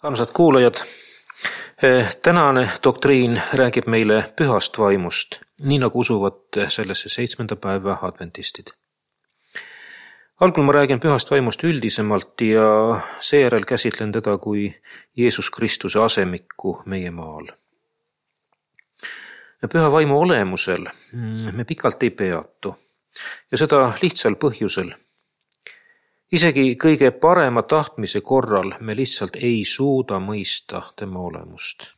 Armsad kuulajad, tänane doktriin räägib meile pühast vaimust, nii nagu usuvad sellesse 7. päeva adventistid. Algul ma räägin pühast vaimust üldisemalt ja seejärel käsitlen teda kui Jeesus Kristuse asemikku meie maal. Püha vaimu olemusel me pikalt ei peatu ja seda lihtsal põhjusel. Isegi kõige parema tahtmise korral me lihtsalt ei suuda mõista tema olemust.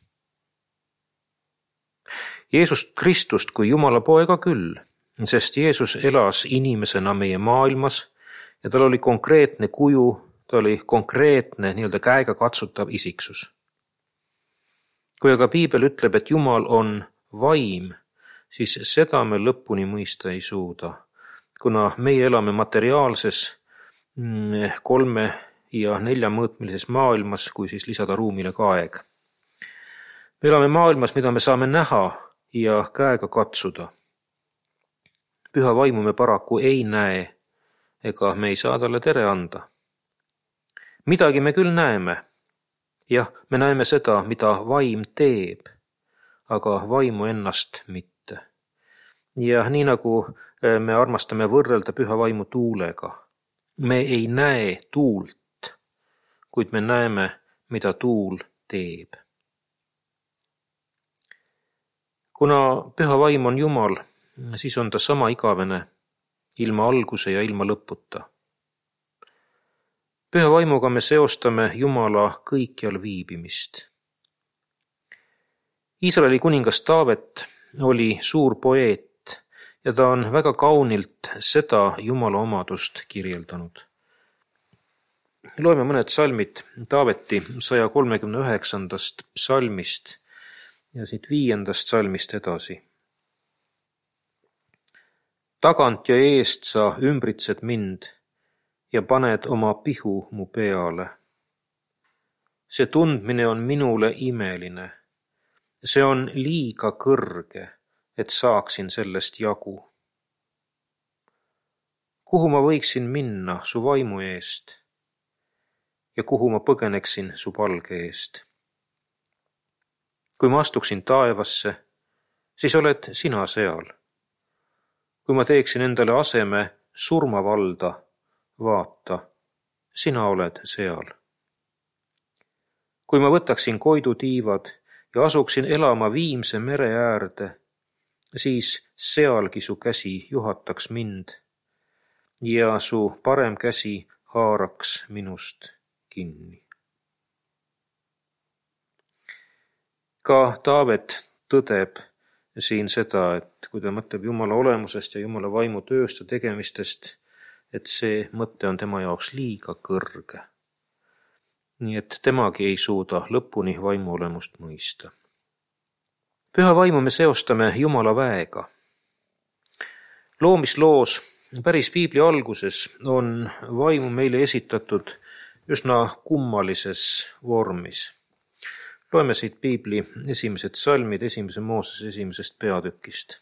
Jeesust Kristust kui Jumala poega küll, sest Jeesus elas inimesena meie maailmas ja tal oli konkreetne kuju, ta oli konkreetne käega katsutav isiksus. Kui aga Piibel ütleb, et Jumal on vaim, siis seda me lõpuni mõista ei suuda, kuna meie elame materiaalses 3 ja 4 mõõtmilises maailmas, kui siis lisada ruumile ka aeg. Me elame maailmas, mida me saame näha ja käega katsuda. Püha vaimu me paraku ei näe ega me ei saa talle tere anda. Midagi me küll näeme. Jah, me näeme seda, mida vaim teeb, aga vaimu ennast mitte. Ja nii nagu me armastame võrrelda püha vaimu tuulega. Me ei näe tuult, kuid me näeme, mida tuul teeb. Kuna püha vaim on Jumal, siis on ta sama igavene, ilma alguse ja ilma lõputa. Püha vaimuga me seostame Jumala kõikjal viibimist. Iisraeli kuningas Taavet oli suur poeet, ja ta on väga kaunilt seda Jumala omadust kirjeldanud. Loeme mõned salmid Taaveti 139. psalmist ja siit 5. salmist edasi. Tagant ja eest sa ümbritsed mind ja paned oma pihu mu peale. See tundmine on minule imeline. See on liiga kõrge, et saaksin sellest jagu. Kuhu ma võiksin minna su vaimu eest ja kuhu ma põgeneksin su palge eest? Kui ma astuksin taevasse, siis oled sina seal. Kui ma teeksin endale aseme surmavalda, vaata, sina oled seal. Kui ma võtaksin koidutiivad ja asuksin elama Viimse mere äärde, siis sealgi su käsi juhataks mind ja su parem käsi haaraks minust kinni. Ka Taavet tõdeb siin seda, et kui ta mõtleb Jumala olemusest ja Jumala vaimu tööst ja tegemistest, et see mõte on tema jaoks liiga kõrge. Nii et temagi ei suuda lõpuni vaimu olemust mõista. Püha vaimu me seostame Jumala väega. Loomisloos päris Piibli alguses on vaimu meile esitatud üsna kummalises vormis. Loeme siit Piibli esimesed salmid 1. Moosese 1. peatükist.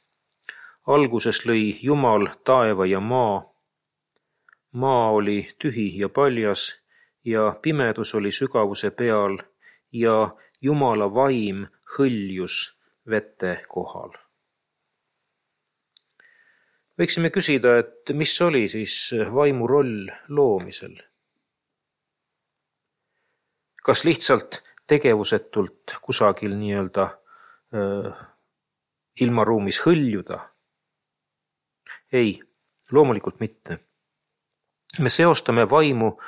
Alguses lõi Jumal taeva ja maa. Maa oli tühi ja paljas ja pimedus oli sügavuse peal ja Jumala vaim hõljus vete kohal. Võiksime küsida, et mis oli siis vaimu roll loomisel? Kas lihtsalt tegevusetult kusagil ilmaruumis hõljuda? Ei, loomulikult mitte. Me seostame vaimu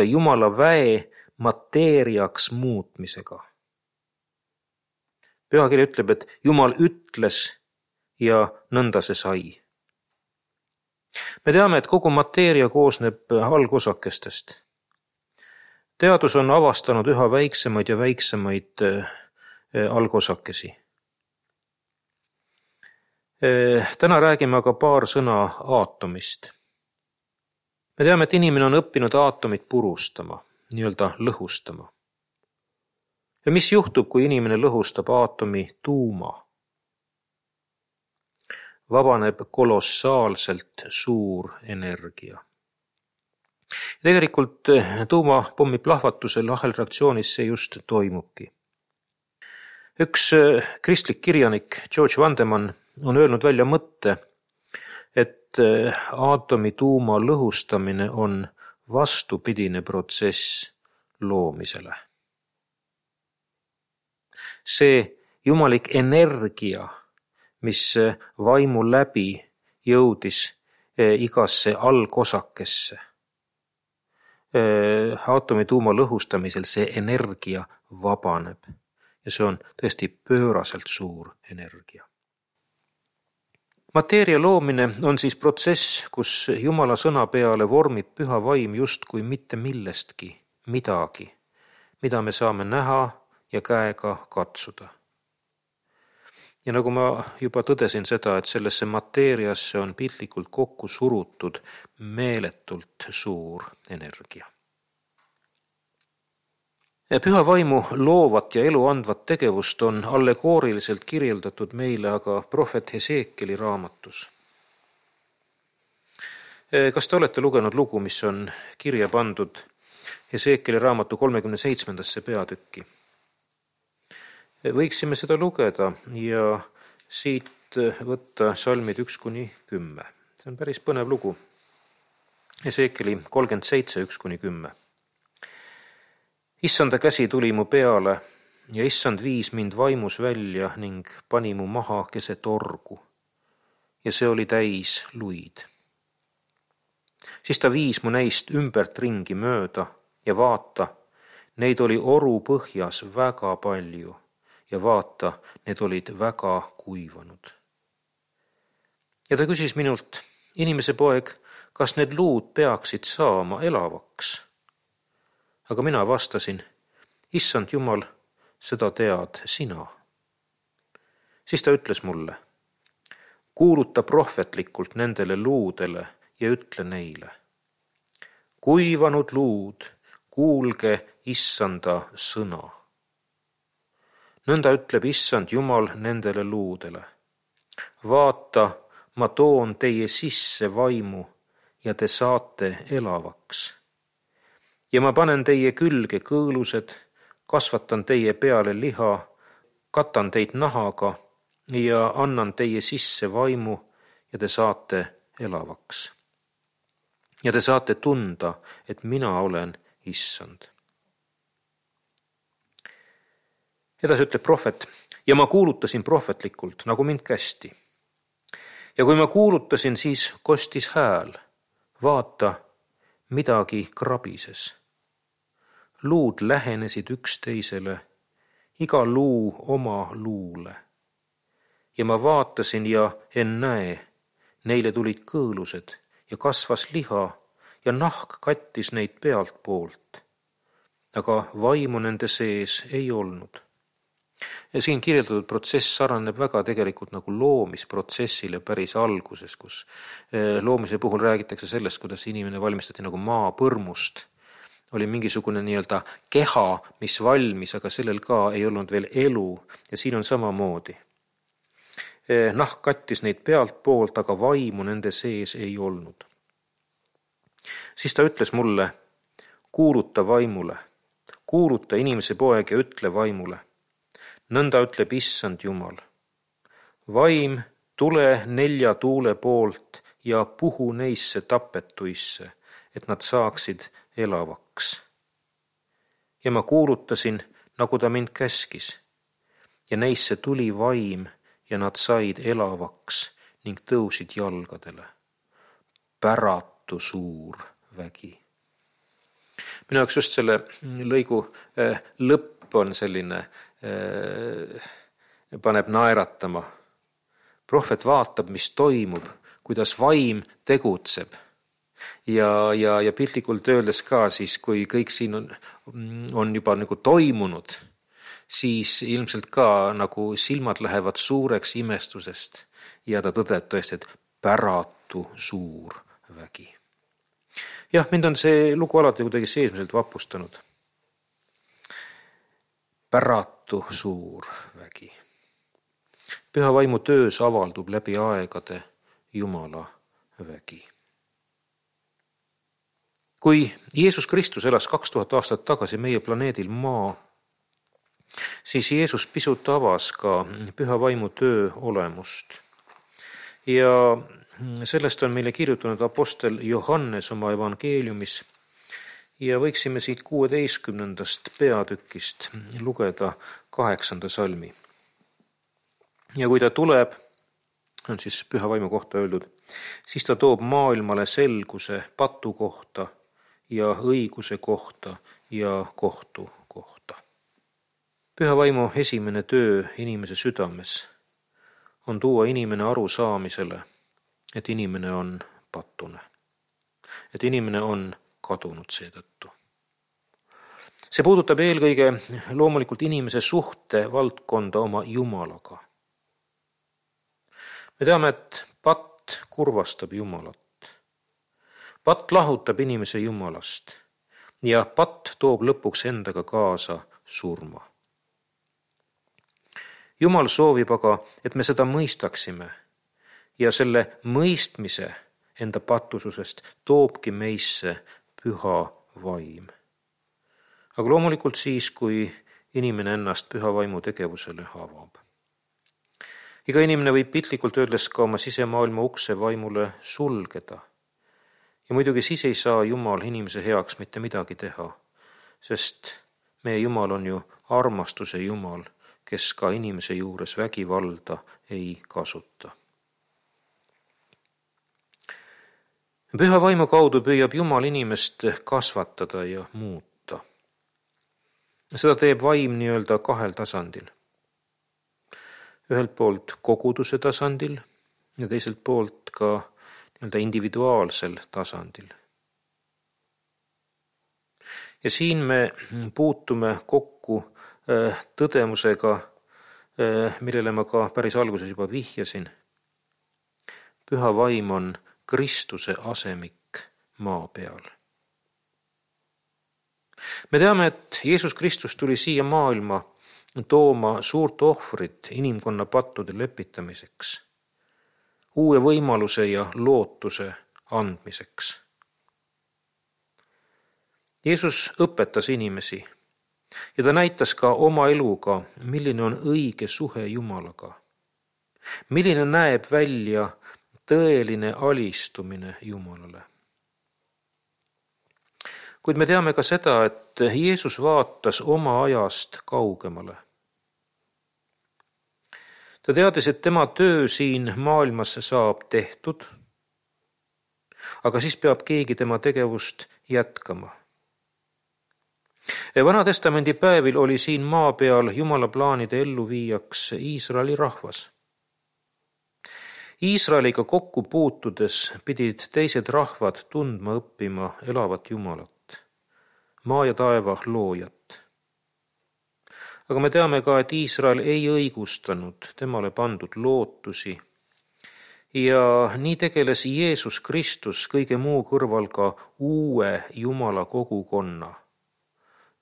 Jumala väe mateeriaks muutmisega. Pühakiri ütleb, et Jumal ütles ja nõnda see sai. Me teame, et kogu mateeria koosneb algosakestest. Teadus on avastanud üha väiksemaid ja väiksemaid algosakesi. Täna räägime aga paar sõna aatomist. Me teame, et inimene on õppinud aatomit purustama, lõhustama. Ja mis juhtub, kui inimene lõhustab aatomi tuuma? Vabaneb kolossaalselt suur energia. Tegelikult tuumapommi plahvatusel ahelreaktsioonis see just toimubki. Üks kristlik kirjanik George Vandeman on öelnud välja mõtte, et aatomi tuuma lõhustamine on vastupidine protsess loomisele. See jumalik energia, mis vaimu läbi jõudis igasse algosakesse, aatomi tuuma lõhustamisel see energia vabaneb ja see on tõesti pööraselt suur energia. Mateeria loomine on siis protsess, kus Jumala sõna peale vormib püha vaim justkui mitte millestki midagi, mida me saame näha ja käega katsuda. Ja nagu ma juba tõdesin seda, et sellesse mateeriasse on piltlikult kokku surutud meeletult suur energia. Püha vaimu loovat ja elu andvat tegevust on allegooriliselt kirjeldatud meile aga prohvet Heseekeli raamatus. Kas te olete lugenud lugu, mis on kirja pandud Heseekeli raamatu 37. peatükki? Võiksime seda lugeda ja siit võtta salmid 1-10. See on päris põnev lugu. Heseekeli 37, 1-10. Issanda käsi tuli mu peale ja issand viis mind vaimus välja ning pani mu maha keset orgu ja see oli täis luid. Siis ta viis mu näist ümbert ringi mööda ja vaata, neid oli oru põhjas väga palju ja vaata, need olid väga kuivanud. Ja ta küsis minult, inimese poeg, kas need luud peaksid saama elavaks? Aga mina vastasin, issand Jumal, seda tead sina. Siis ta ütles mulle, kuuluta prohvetlikult nendele luudele ja ütle neile. Kuivanud luud, kuulge issanda sõna. Nõnda ütleb issand Jumal nendele luudele. Vaata, ma toon teie sisse vaimu ja te saate elavaks. Ja ma panen teie külge kõõlused, kasvatan teie peale liha, katan teid nahaga ja annan teie sisse vaimu ja te saate elavaks. Ja te saate tunda, et mina olen issand. Edasi ütleb prohvet, ja ma kuulutasin prohvetlikult, nagu mind kästi. Ja kui ma kuulutasin, siis kostis hääl, vaata, midagi krabises. Luud lähenesid üksteisele, iga luu oma luule. Ja ma vaatasin ja ennäe, neile tulid kõõlused ja kasvas liha ja nahk kattis neid pealt poolt. Aga vaimu nende sees ei olnud. Ja siin kirjeldatud protsess saraneb väga tegelikult nagu loomisprotsessile päris alguses, kus loomise puhul räägitakse sellest, kuidas inimene valmistati nagu maapõrmust. Oli mingisugune nii-öelda keha, mis valmis, aga sellel ka ei olnud veel elu ja siin on samamoodi. Nahk kattis neid pealt poolt, aga vaimu nende sees ei olnud. Siis ta ütles mulle, kuuluta vaimule, kuuluta inimese poeg ja ütle vaimule. Nõnda ütleb issand Jumal. Vaim, tule 4 tuule poolt ja puhu neisse tapetuisse, et nad saaksid elavaks. Ja ma kuulutasin, nagu ta mind käskis, ja neisse tuli vaim ja nad said elavaks ning tõusid jalgadele. Päratu suur vägi. Minu jaoks just selle lõigu lõpp on selline, paneb naeratama. Prohvet vaatab, mis toimub, kuidas vaim tegutseb. Ja piltlikult öeldes ka siis, kui kõik siin on juba nagu toimunud, siis ilmselt ka nagu silmad lähevad suureks imestusest ja ta tõdeb tõesti, et päratu suur vägi. Jah, mind on see lugu alati kuidagi seesmiselt vapustanud. Päratu suur vägi. Püha vaimu töös avaldub läbi aegade Jumala vägi. Kui Jeesus Kristus elas 2000 aastat tagasi meie planeedil Maa, siis Jeesus pisut avas ka püha vaimu töö olemust. Ja sellest on meile kirjutanud apostel Johannes oma evangeeliumis ja võiksime siit 16. peatükist lugeda 8. salmi. Ja kui ta tuleb, on siis püha vaimu kohta öeldud, siis ta toob maailmale selguse patu kohta ja õiguse kohta ja kohtu kohta. Püha vaimu esimene töö inimese südames on tuua inimene arusaamisele, et inimene on patune, et inimene on kadunud seetõttu. See puudutab eelkõige loomulikult inimese suhte valdkonda oma Jumalaga. Me teame, et patt kurvastab Jumalat. Patt lahutab inimese Jumalast ja patt toob lõpuks endaga kaasa surma. Jumal soovib aga, et me seda mõistaksime ja selle mõistmise enda pattususest toobki meisse püha vaim. Aga loomulikult siis, kui inimene ennast püha vaimu tegevusele avab. Iga inimene võib piltlikult öeldes ka oma sisemaailma ukse vaimule sulgeda. Ja muidugi siis ei saa Jumal inimese heaks mitte midagi teha, sest meie Jumal on ju armastuse Jumal, kes ka inimese juures vägivalda ei kasuta. Püha vaimu kaudu püüab Jumal inimest kasvatada ja muuta. Seda teeb vaim nii-öelda kahel tasandil. Ühelt poolt koguduse tasandil ja teiselt poolt ka nii-öelda individuaalsel tasandil. Ja siin me puutume kokku tõdemusega, millele ma ka päris alguses juba vihjasin. Püha vaim on Kristuse asemik maa peal. Me teame, et Jeesus Kristus tuli siia maailma tooma suurt ohvrit inimkonna pattude lepitamiseks, uue võimaluse ja lootuse andmiseks. Jeesus õpetas inimesi ja ta näitas ka oma eluga, milline on õige suhe Jumalaga, milline näeb välja tõeline alistumine Jumalale. Kuid me teame ka seda, et Jeesus vaatas oma ajast kaugemale. Ta teadis, et tema töö siin maailmas saab tehtud, aga siis peab keegi tema tegevust jätkama. Vana testamendi päevil oli siin maa peal Jumala plaanide elluviijaks Iisraeli rahvas. Iisraeliga kokku puutudes pidid teised rahvad tundma õppima elavat Jumalat, maa ja taeva loojat. Aga me teame ka, et Iisrael ei õigustanud temale pandud lootusi ja nii tegeles Jeesus Kristus kõige muu kõrval ka uue Jumala kogukonna,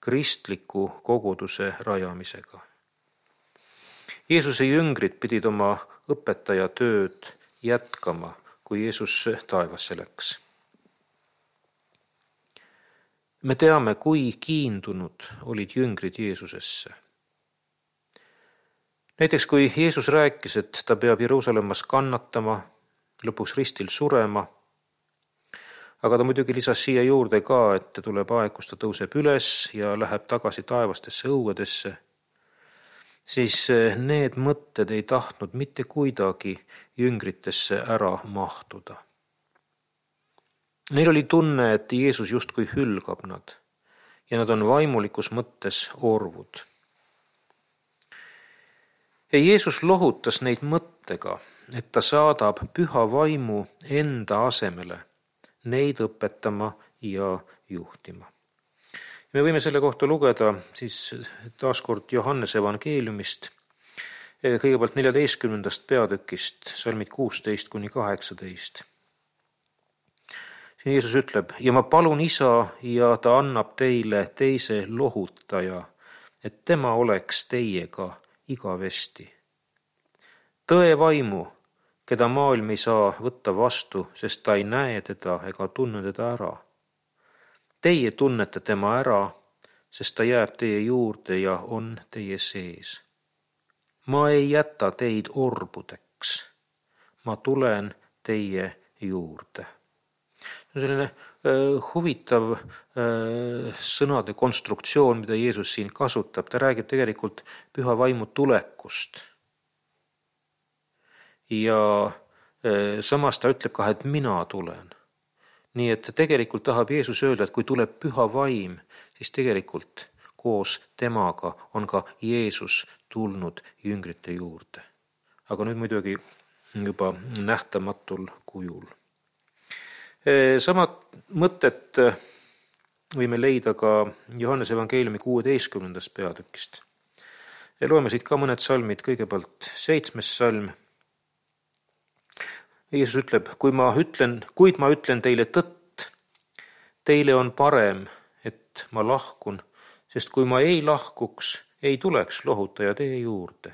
kristliku koguduse rajamisega. Jeesuse jüngrid pidid oma õpetaja tööd jätkama, kui Jeesus taevasse läks. Me teame, kui kiindunud olid jüngrid Jeesusesse. Näiteks kui Jeesus rääkis, et ta peab Jeruusalemmas kannatama, lõpuks ristil surema, aga ta muidugi lisas siia juurde ka, et tuleb aeg, kus ta tõuseb üles ja läheb tagasi taevastesse õuedesse, siis need mõtted ei tahtnud mitte kuidagi jüngritesse ära mahtuda. Neil oli tunne, et Jeesus justkui hülgab nad ja nad on vaimulikus mõttes orvud. Ja Jeesus lohutas neid mõttega, et ta saadab püha vaimu enda asemele neid õpetama ja juhtima. Me võime selle kohta lugeda siis taaskord Johannese evangeeliumist, kõigepealt 14. peatükist, salmid 16-18. Siin Jeesus ütleb, ja ma palun Isa ja ta annab teile teise lohutaja, et tema oleks teiega igavesti. Tõe vaimu, keda maailm ei saa võtta vastu, sest ta ei näe teda ega tunne teda ära. Teie tunnete tema ära, sest ta jääb teie juurde ja on teie sees. Ma ei jäta teid orbudeks. Ma tulen teie juurde. See on selline huvitav sõnade konstruktsioon, mida Jeesus siin kasutab. Ta räägib tegelikult püha vaimu tulekust. Ja samas ta ütleb ka, et mina tulen. Nii et tegelikult tahab Jeesus öelda, et kui tuleb püha vaim, siis tegelikult koos temaga on ka Jeesus tulnud jüngrite juurde. Aga nüüd muidugi juba nähtamatul kujul. Samad mõtted võime leida ka Johannese evangeeliumi 16. peatükist. Loeme siit ka mõned salmid, kõigepealt 7. salm. Jeesus ütleb, kuid ma ütlen teile tõtt, teile on parem, et ma lahkun, sest kui ma ei lahkuks, ei tuleks lohutaja teie juurde.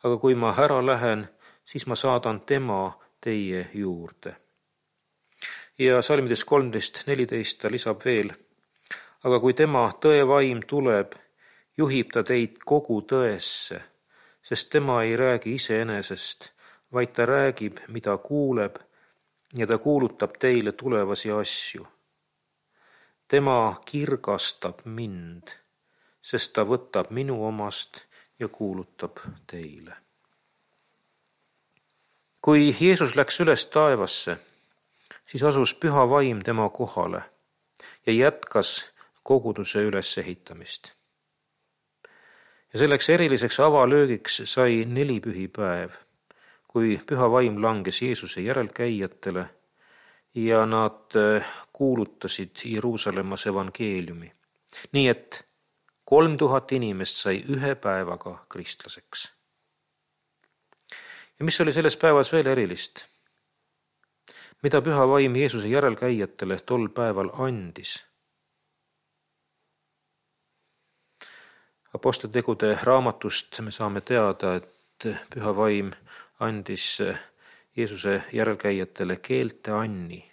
Aga kui ma ära lähen, siis ma saadan tema teie juurde. Ja salmides 13-14 ta lisab veel, aga kui tema tõevaim tuleb, juhib ta teid kogu tõesse, sest tema ei räägi iseenesest, vaid ta räägib, mida kuuleb, ja ta kuulutab teile tulevasi asju. Tema kirgastab mind, sest ta võtab minu omast ja kuulutab teile. Kui Jeesus läks üles taevasse, siis asus püha vaim tema kohale ja jätkas koguduse ülesehitamist. Ja selleks eriliseks avalöögiks sai 4 pühipäev, kui püha vaim langes Jeesuse järelkäijatele ja nad kuulutasid Jeruusalemmas evangeeliumi. Nii et 3000 inimest sai 1 päevaga kristlaseks. Ja mis oli selles päevas veel erilist? Mida püha vaim Jeesuse järelkäijatele tol päeval andis? Apostlitegude raamatust me saame teada, et püha vaim andis Jeesuse järelkäijatele keelteanni.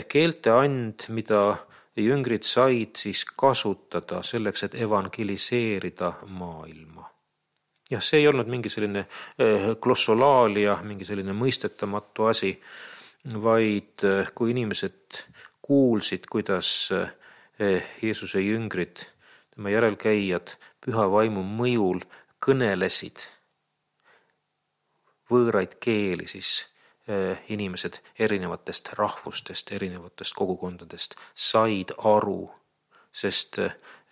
Keelteand, mida jüngrid said siis kasutada selleks, et evangeliseerida maailma. Ja see ei olnud mingi selline glossolaalia, mingi selline mõistetamatu asi, vaid kui inimesed kuulsid, kuidas Jeesuse jüngrid, tema järelkäijad püha vaimu mõjul kõnelesid võõraid keeli, siis inimesed erinevatest rahvustest, erinevatest kogukondadest said aru, sest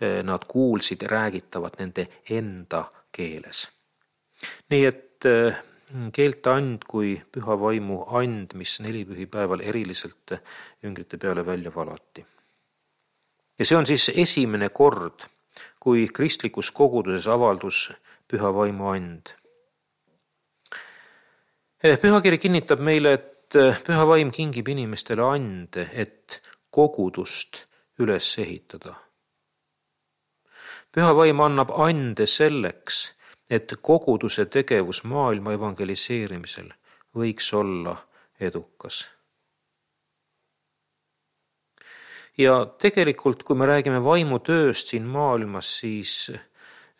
nad kuulsid räägitavat nende enda keeles. Nii et keelteand kui püha vaimu and, mis 4 pühipäeval eriliselt jüngrite peale välja valati. Ja see on siis esimene kord, kui kristlikus koguduses avaldus püha vaimu and. Pühakiri kinnitab meile, et püha vaim kingib inimestele ande, et kogudust üles ehitada. Püha vaim annab ande selleks, et koguduse tegevus maailma evangeliseerimisel võiks olla edukas. Ja tegelikult, kui me räägime vaimutööst siin maailmas, siis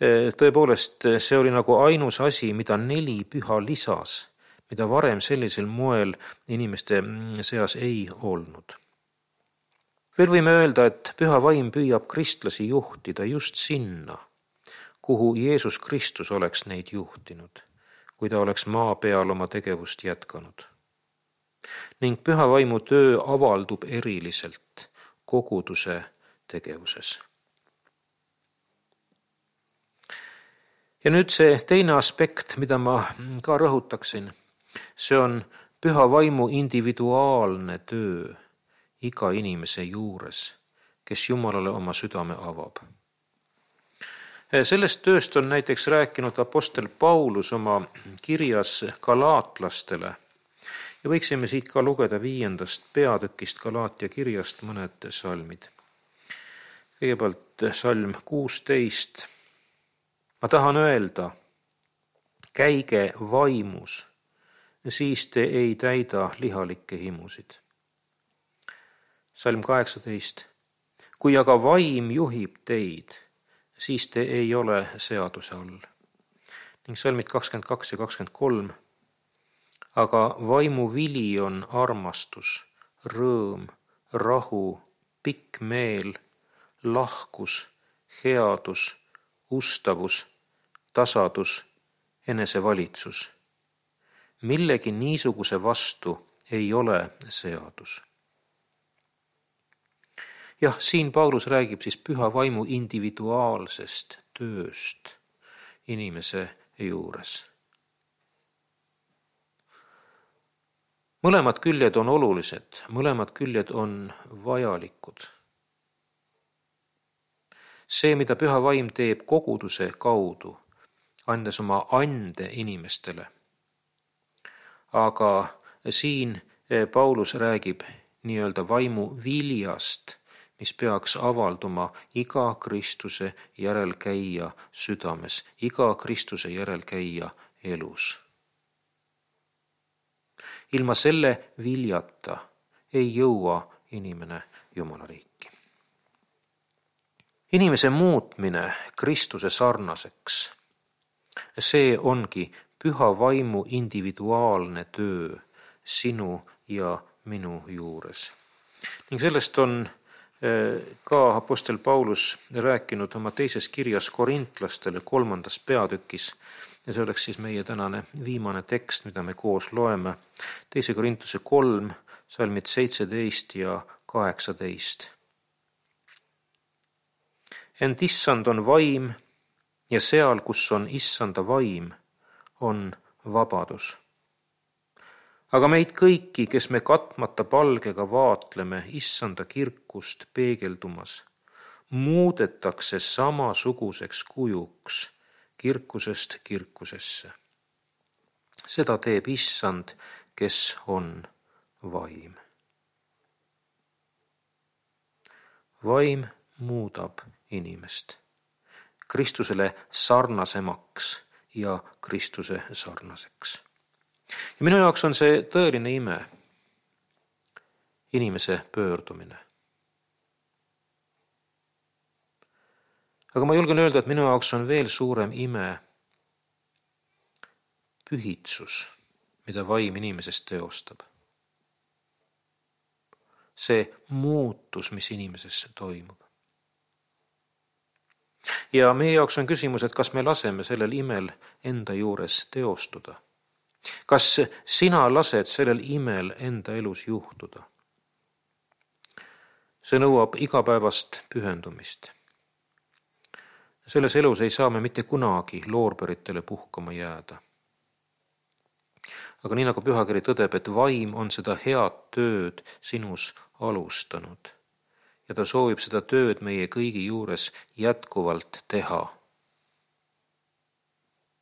tõepoolest see oli nagu ainus asi, mida 4 püha lisas, mida varem sellisel moel inimeste seas ei olnud. Veel võime öelda, et püha vaim püüab kristlasi juhtida just sinna, kuhu Jeesus Kristus oleks neid juhtinud, kui ta oleks maa peal oma tegevust jätkanud. Ning püha vaimu töö avaldub eriliselt koguduse tegevuses. Ja nüüd see teine aspekt, mida ma ka rõhutaksin, see on püha vaimu individuaalne töö iga inimese juures, kes Jumalale oma südame avab. Sellest tööst on näiteks rääkinud apostel Paulus oma kirjas galaatlastele ja võiksime siit ka lugeda 5. peatükist Galaatia kirjast mõned salmid. Kõigepealt salm 16. Ma tahan öelda, käige vaimus, siis te ei täida lihalikke himusid. salm 18. Kui aga vaim juhib teid, siis te ei ole seaduse all. Ning salmid 22 ja 23. Aga vaimu vili on armastus, rõõm, rahu, pikk meel, lahkus, headus, ustavus, tasadus, enesevalitsus. Millegi niisuguse vastu ei ole seadus. Jah, siin Paulus räägib siis püha vaimu individuaalsest tööst inimese juures. Mõlemad küljed on olulised, mõlemad küljed on vajalikud. See, mida püha vaim teeb koguduse kaudu, andes oma ande inimestele. Aga siin Paulus räägib nii-öelda vaimu viljast, mis peaks avalduma iga Kristuse järelkäija südames, iga Kristuse järelkäija elus. Ilma selle viljata ei jõua inimene Jumala riiki. Inimese muutmine Kristuse sarnaseks, see ongi püha vaimu individuaalne töö sinu ja minu juures. Ning sellest on ka apostel Paulus rääkinud oma teises kirjas korintlastele 3. peatükis, ja see oleks siis meie tänane viimane tekst, mida me koos loeme. 2. Korintuse 3, salmid 17 ja 18. Ent issand on vaim ja seal, kus on issanda vaim, on vabadus. Aga meid kõiki, kes me katmata palgega vaatleme issanda kirkust peegeldumas, muudetakse samasuguseks kujuks kirkusest kirkusesse. Seda teeb issand, kes on vaim. Vaim muudab inimest Kristusele sarnasemaks ja Kristuse sarnaseks. Ja minu jaoks on see tõeline ime, inimese pöördumine. Aga ma julgen öelda, et minu jaoks on veel suurem ime pühitsus, mida vaim inimesest teostab. See muutus, mis inimesesse toimub. Ja meie jaoks on küsimus, et kas me laseme sellel imel enda juures teostuda. Kas sina lased sellel imel enda elus juhtuda? See nõuab igapäevast pühendumist. Selles elus ei saa me mitte kunagi loorberitele puhkama jääda. Aga nii nagu pühakiri tõdeb, et vaim on seda head tööd sinus alustanud ja ta soovib seda tööd meie kõigi juures jätkuvalt teha.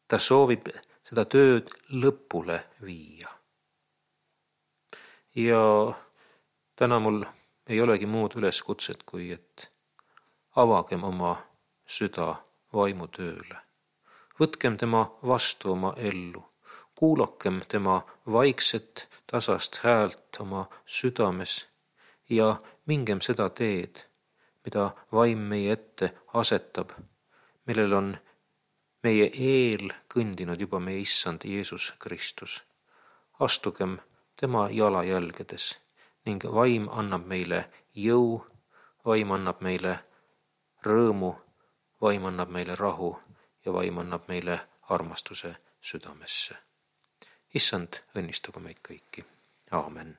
Ta soovib seda tööd lõpule viia. Ja täna mul ei olegi muud üleskutset, kui et avagem oma süda vaimu tööle. Võtkem tema vastu oma ellu. Kuulakem tema vaikset, tasast häält oma südames ja mingem seda teed, mida vaim meie ette asetab, millel on meie eel kõndinud juba meie issand Jeesus Kristus. Astugem tema jalajälgedes ning vaim annab meile jõu, vaim annab meile rõõmu, vaim annab meile rahu ja vaim annab meile armastuse südamesse. Issand, õnnistagu meid kõiki. Aamen.